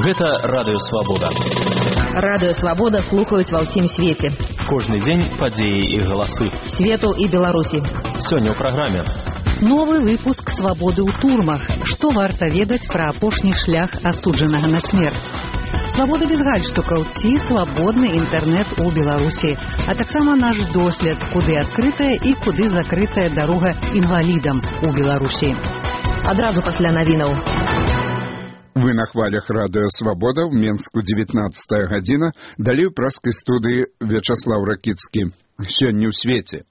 Гэта Радыё Свабода. Радыё Свабода слухаюць ва ўсім свеце. Кожны дзень падзеі і галасы. Свету і Беларусі. Сёння ў праграме. Новы выпуск «Свабоды ў турмах». Што варта ведаць пра апошні шлях асуджанага на смерць? Свабода без гальштукаў ці свабодны інтэрнэт у Беларусі, а таксама наш дослед, куды адкрытая і куды закрытая дарога інвалідам у Беларусі. Адразу пасля навінаў. Вы на хвалях Радыё Свабода, в Менску 19 гадзіна, далей у праскай студыі Вячаслаў Ракіцкі. Сёння ў свеце.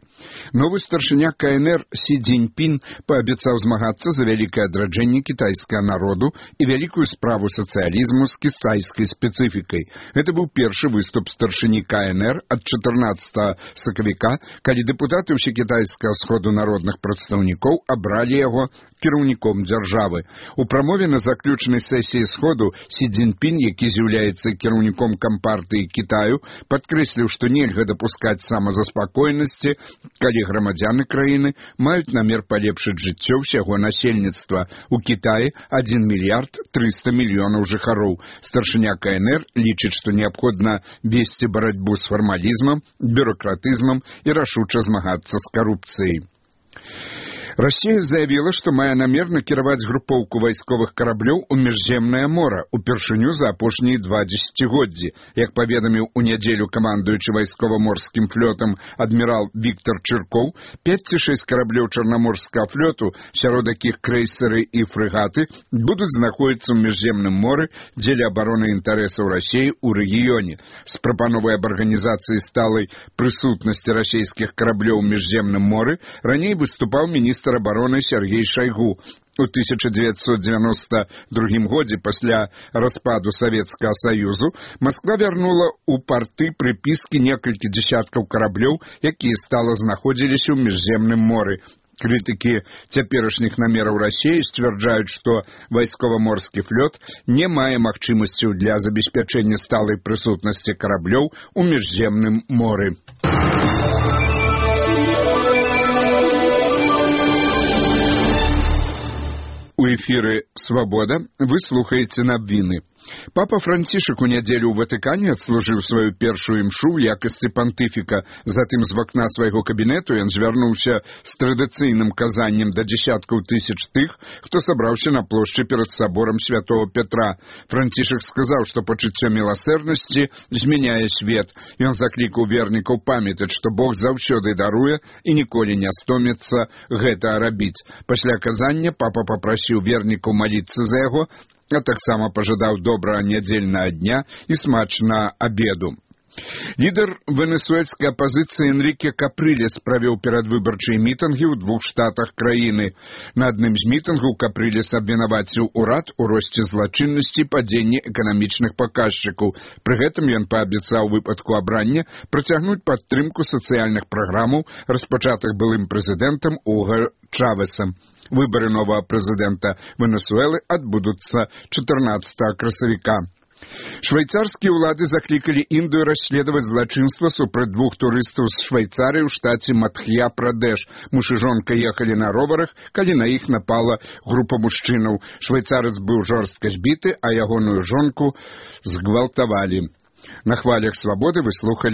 Новы старшыня КНР Сі Цзіньпін паабяцаў змагацца за вялікае адраджэнне кітайскага народу і вялікую справу сацыялізму з кітайскай спецыфікай. Гэта быў першы выступ старшыні КНР ад 14 сакавіка, калі дэпутаты ўсекітайскага сходу народных прадстаўнікоў абралі яго кіраўніком дзяржавы. У прамове на заключнай сесіі сходу Сі Цзіньпін, які з'яўляецца кіраўніком кампартыі Кітаю, падкрэсліў, што нельга дапускаць самазаспакойнасці, калі грамадзяны краіны маюць намер палепшыць жыццё ўсяго насельніцтва. У Кітаі 1 мільярд 300 мільёнаў жыхароў. Старшыня КНР лічыць, што неабходна весці барацьбу з фармалізмам, бюракратызмам і рашуча змагацца з карупцыяй. Расія заявіла, што мае намер накіраваць групоўку вайсковых караблёў у міжземнае мора упершыню за апошнія 2 дзесяцігоддзі. Як паведаміў у нядзелю камандуючы вайскова-морскім флотам адмірал Віктор Чыркоў, 5 ці 6 караблёў чарнаморскага флоту, сярод якіх крэйсеры і фрэгаты, будуць знаходзіцца ў міжземным моры дзеля абароны інтарэсаў Расіі ў рэгіёне. З прапановай аб арганізацыі сталай прысутнасці расійскіх караблёў у міжземным моры раней выступаў міністр абароны Сергей Шайгу. У 1992 годзе пасля распаду Савецкага Саюзу Масква вярнула ў парты прыпіскі некалькі дзесяткаў караблёў, якія стала знаходзіліся ў міжземным моры. Крытыкі цяперашніх намераў Расіі сцвярджаюць, што вайскова-морскі флот не мае магчымасцяў для забеспячэння сталай прысутнасці караблёў у міжземным моры. У эфіры «Свабода» вы слухаеце навіны. Папа Францішак у нядзелю ў Ватыкане адслужыў сваю першую імшу ў якасці пантыфіка. Затым з вакна свайго кабінету ён звярнуўся з традыцыйным казаннем да дзесяткаў тысяч тых, хто сабраўся на плошчы перад саборам святого Петра. Францішак сказаў, што пачуццё міласэрнасці змяняе свет. Ён заклікаў вернікаў памятаць, што Бог заўсёды даруе і ніколі не стоміцца гэта рабіць. Пасля казання папа папрасіў вернікаў маліцца за яго, а таксама пажадаў добрага нядзельнага дня і смачнага абеду. Лідар венесуэльскай апазіцыі Энрике Капрылес правёў перадвыбарчыя мітынгі ў 2 штатах краіны. На адным з мітынгаў Капрылес абвінаваціў урад у росце злачыннасці і падзенні эканамічных паказчыкаў. Пры гэтым ён паабяцаў у выпадку абрання працягнуць падтрымку сацыяльных праграмаў, распачатых былым прэзідэнтам Уго Чавесам. Выбары новага прэзідэнта Венесуэлы адбудуцца 14 красавіка. Швейцарскія ўлады заклікалі Індыю расследаваць злачынства супраць 2 турыстаў з Швейцарыі ў штаце Мадх'я-Прадэш. Муж і жонка ехалі на роварах, калі на іх напала група мужчынаў. Швейцарец быў жорстка збіты, а ягоную жонку згвалтавалі. На хвалях Свабоды вы слухалі